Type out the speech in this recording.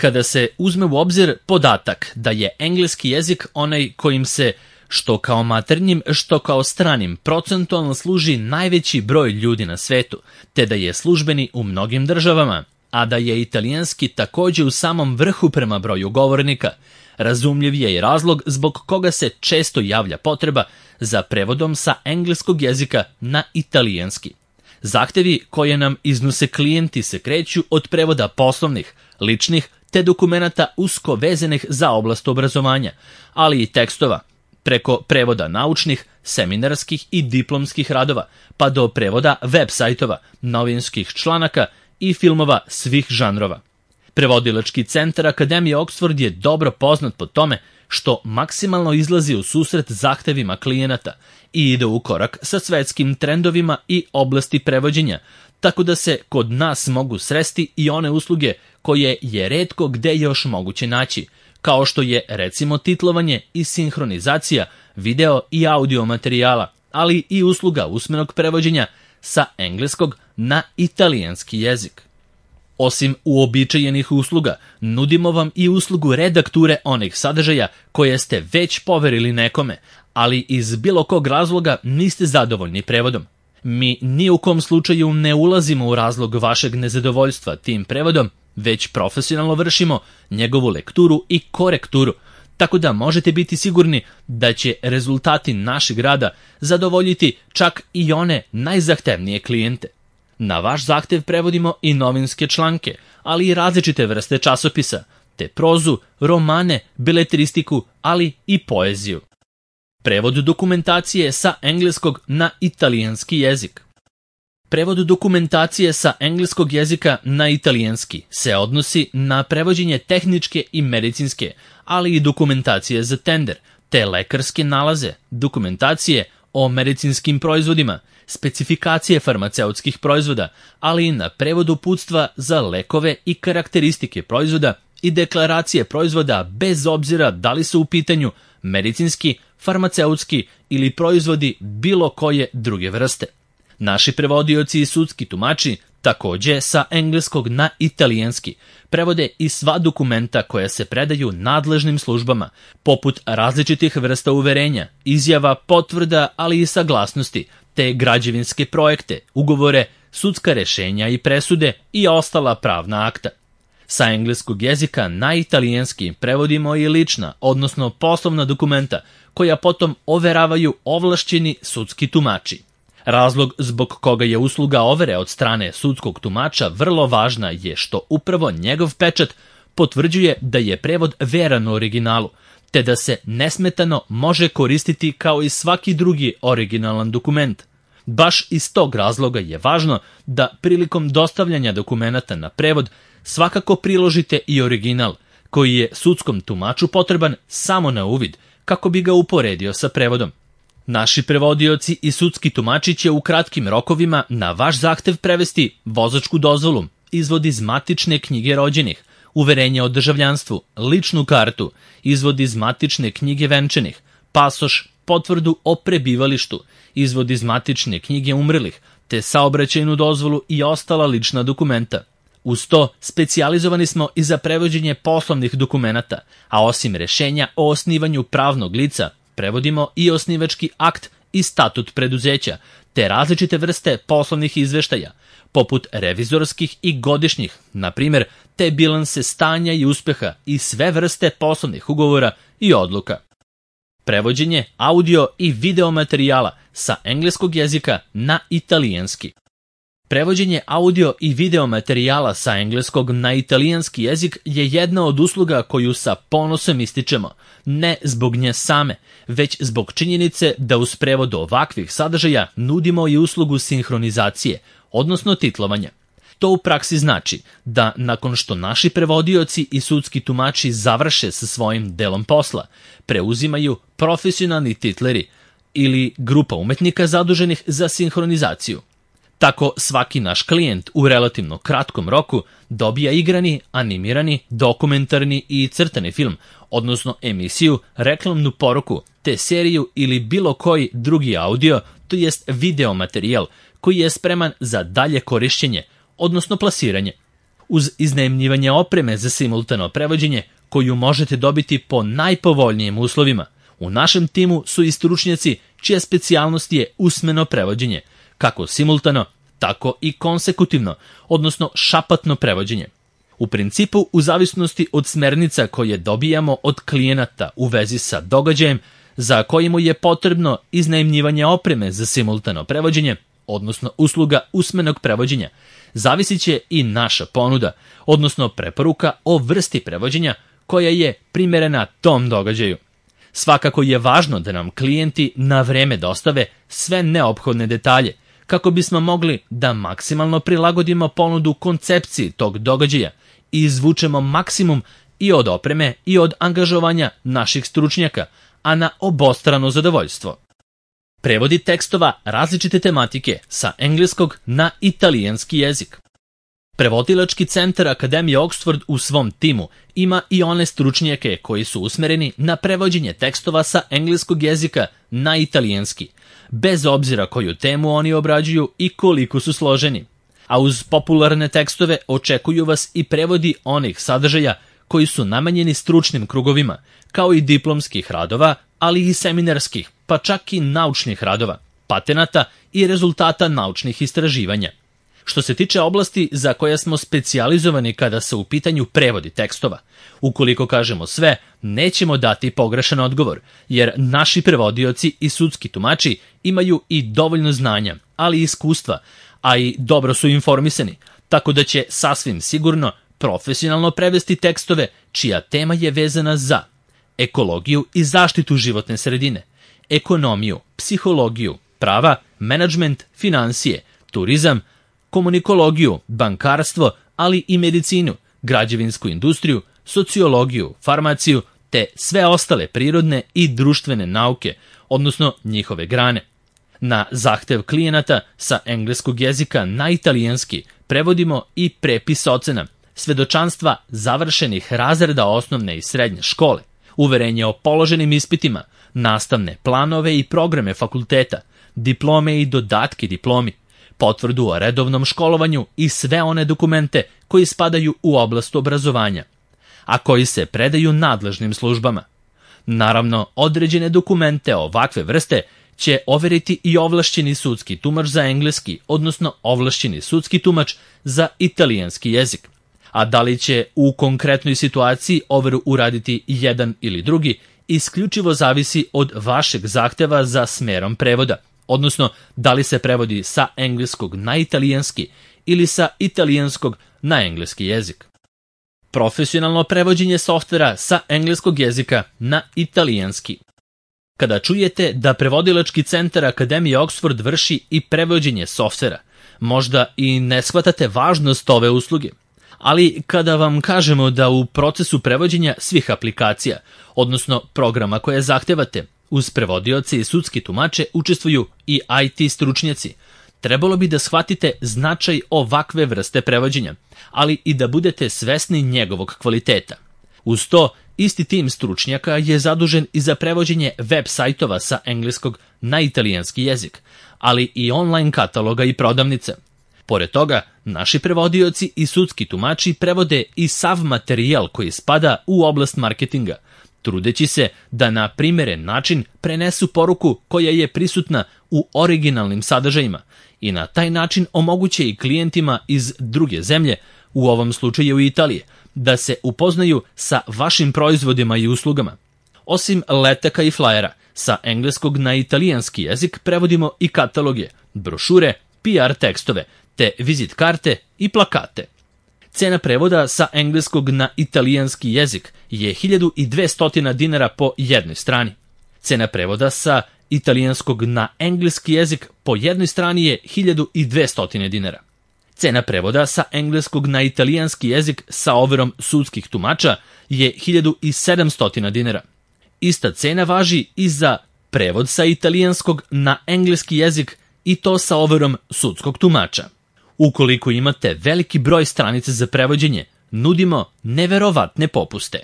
Kada se uzme u obzir podatak da je engleski jezik onaj kojim se što kao maternjim, što kao stranim procentualno služi najveći broj ljudi na svetu, te da je službeni u mnogim državama, a da je italijanski takođe u samom vrhu prema broju govornika, razumljiv je i razlog zbog koga se često javlja potreba za prevodom sa engleskog jezika na italijanski. Zahtevi koje nam iznose klijenti se kreću od prevoda poslovnih, ličnih te dokumenata usko vezanih za oblast obrazovanja, ali i tekstova, preko prevoda naučnih, seminarskih i diplomskih radova, pa do prevoda web sajtova, novinskih članaka i filmova svih žanrova. Prevodilački centar Akademije Oxford je dobro poznat po tome što maksimalno izlazi u susret zahtevima klijenata i ide u korak sa svetskim trendovima i oblasti prevođenja, tako da se kod nas mogu sresti i one usluge koje je retko gde još moguće naći, kao što je recimo titlovanje i sinhronizacija video i audio materijala, ali i usluga usmenog prevođenja sa engleskog na italijanski jezik. Osim uobičajenih usluga, nudimo vam i uslugu redakture onih sadržaja koje ste već poverili nekome, ali iz bilo kog razloga niste zadovoljni prevodom. Mi ni u kom slučaju ne ulazimo u razlog vašeg nezadovoljstva tim prevodom, već profesionalno vršimo njegovu lekturu i korekturu, tako da možete biti sigurni da će rezultati našeg rada zadovoljiti čak i one najzahtevnije klijente. Na vaš zahtev prevodimo i novinske članke, ali i različite vrste časopisa, te prozu, romane, beletristiku, ali i poeziju. Prevod dokumentacije sa engleskog na italijanski jezik. Prevod dokumentacije sa engleskog jezika na italijanski se odnosi na prevođenje tehničke i medicinske, ali i dokumentacije za tender, te lekarske nalaze, dokumentacije o medicinskim proizvodima, specifikacije farmaceutskih proizvoda, ali i na prevod uputstva za lekove i karakteristike proizvoda i deklaracije proizvoda bez obzira da li su u pitanju medicinski, farmaceutski ili proizvodi bilo koje druge vrste. Naši prevodioci i sudski tumači takođe sa engleskog na italijanski prevode i sva dokumenta koja se predaju nadležnim službama, poput različitih vrsta uverenja, izjava, potvrda, ali i saglasnosti, te građevinske projekte, ugovore, sudska rešenja i presude i ostala pravna akta. Sa engleskog jezika na italijanski prevodimo i lična, odnosno poslovna dokumenta, koja potom overavaju ovlašćeni sudski tumači. Razlog zbog koga je usluga overe od strane sudskog tumača vrlo važna je što upravo njegov pečat potvrđuje da je prevod veran u originalu, te da se nesmetano može koristiti kao i svaki drugi originalan dokument. Baš iz tog razloga je važno da prilikom dostavljanja dokumenata na prevod svakako priložite i original, koji je sudskom tumaču potreban samo na uvid, kako bi ga uporedio sa prevodom. Naši prevodioci i sudski tumači će u kratkim rokovima na vaš zahtev prevesti vozačku dozvolu, izvod iz matične knjige rođenih, uverenje o državljanstvu, ličnu kartu, izvod iz matične knjige venčanih, pasoš, potvrdu o prebivalištu, izvod iz matične knjige umrlih, te saobraćajnu dozvolu i ostala lična dokumenta. Uz to, specijalizovani smo i za prevođenje poslovnih dokumenata, a osim rešenja o osnivanju pravnog lica, prevodimo i osnivački akt i statut preduzeća, te različite vrste poslovnih izveštaja, poput revizorskih i godišnjih, na primjer, te bilanse stanja i uspeha i sve vrste poslovnih ugovora i odluka. Prevođenje audio i video materijala sa engleskog jezika na italijanski. Prevođenje audio i video materijala sa engleskog na italijanski jezik je jedna od usluga koju sa ponosom ističemo, ne zbog nje same, već zbog činjenice da uz prevod ovakvih sadržaja nudimo i uslugu sinhronizacije, odnosno titlovanja. To u praksi znači da nakon što naši prevodioci i sudski tumači završe sa svojim delom posla, preuzimaju profesionalni titleri ili grupa umetnika zaduženih za sinhronizaciju. Tako svaki naš klijent u relativno kratkom roku dobija igrani, animirani, dokumentarni i crtani film, odnosno emisiju, reklamnu poruku, te seriju ili bilo koji drugi audio, to jest video materijal koji je spreman za dalje korišćenje, odnosno plasiranje. uz iznajmljivanje opreme za simultano prevođenje koju možete dobiti po najpovoljnijim uslovima. U našem timu su i stručnjaci čija specijalnost je usmeno prevođenje, kako simultano, tako i konsekutivno, odnosno šapatno prevođenje. U principu, u zavisnosti od smernica koje dobijamo od klijenata u vezi sa događajem za koji mu je potrebno iznajmljivanje opreme za simultano prevođenje, odnosno usluga usmenog prevođenja, zavisit će i naša ponuda, odnosno preporuka o vrsti prevođenja koja je primerena tom događaju. Svakako je važno da nam klijenti na vreme dostave sve neophodne detalje, kako bismo mogli da maksimalno prilagodimo ponudu koncepciji tog događaja i izvučemo maksimum i od opreme i od angažovanja naših stručnjaka, a na obostrano zadovoljstvo. Prevodi tekstova različite tematike sa engleskog na italijanski jezik. Prevodilački centar Akademije Oxford u svom timu ima i one stručnjake koji su usmereni na prevođenje tekstova sa engleskog jezika na italijanski, bez obzira koju temu oni obrađuju i koliko su složeni. A uz popularne tekstove očekuju vas i prevodi onih sadržaja koji su namenjeni stručnim krugovima, kao i diplomskih radova, ali i seminarskih, pa čak i naučnih radova, patenata i rezultata naučnih istraživanja. Što se tiče oblasti za koje smo specijalizovani kada se u pitanju prevodi tekstova, ukoliko kažemo sve, nećemo dati pogrešan odgovor, jer naši prevodioci i sudski tumači imaju i dovoljno znanja, ali i iskustva, a i dobro su informisani, tako da će sasvim sigurno profesionalno prevesti tekstove čija tema je vezana za ekologiju i zaštitu životne sredine, ekonomiju, psihologiju, prava, menadžment, finansije, turizam, komunikologiju, bankarstvo, ali i medicinu, građevinsku industriju, sociologiju, farmaciju, te sve ostale prirodne i društvene nauke, odnosno njihove grane. Na zahtev klijenata sa engleskog jezika na italijanski prevodimo i prepis ocena, svedočanstva završenih razreda osnovne i srednje škole, uverenje o položenim ispitima, nastavne planove i programe fakulteta, diplome i dodatke diplomi, potvrdu o redovnom školovanju i sve one dokumente koji spadaju u oblast obrazovanja, a koji se predaju nadležnim službama. Naravno, određene dokumente ovakve vrste će overiti i ovlašćeni sudski tumač za engleski, odnosno ovlašćeni sudski tumač za italijanski jezik. A da li će u konkretnoj situaciji overu uraditi jedan ili drugi, isključivo zavisi od vašeg zahteva za smerom prevoda, odnosno da li se prevodi sa engleskog na italijanski ili sa italijanskog na engleski jezik. Profesionalno prevođenje softvera sa engleskog jezika na italijanski. Kada čujete da prevodilački centar Akademije Oxford vrši i prevođenje softvera, možda i ne shvatate važnost ove usluge, ali kada vam kažemo da u procesu prevođenja svih aplikacija, odnosno programa koje zahtevate, uz prevodioce i sudski tumače učestvuju i IT stručnjaci, trebalo bi da shvatite značaj ovakve vrste prevođenja, ali i da budete svesni njegovog kvaliteta. Uz to, isti tim stručnjaka je zadužen i za prevođenje web sajtova sa engleskog na italijanski jezik, ali i online kataloga i prodavnice. Pored toga, naši prevodioci i sudski tumači prevode i sav materijal koji spada u oblast marketinga, trudeći se da na primeren način prenesu poruku koja je prisutna u originalnim sadržajima i na taj način omoguće i klijentima iz druge zemlje, u ovom slučaju Italije, da se upoznaju sa vašim proizvodima i uslugama. Osim letaka i flajera, sa engleskog na italijanski jezik prevodimo i kataloge, brošure, PR tekstove, te vizit karte i plakate. Cena prevoda sa engleskog na italijanski jezik je 1200 dinara po jednoj strani. Cena prevoda sa italijanskog na engleski jezik po jednoj strani je 1200 dinara. Cena prevoda sa engleskog na italijanski jezik sa overom sudskih tumača je 1700 dinara. Ista cena važi i za prevod sa italijanskog na engleski jezik i to sa overom sudskog tumača. Ukoliko imate veliki broj stranica za prevođenje, nudimo neverovatne popuste.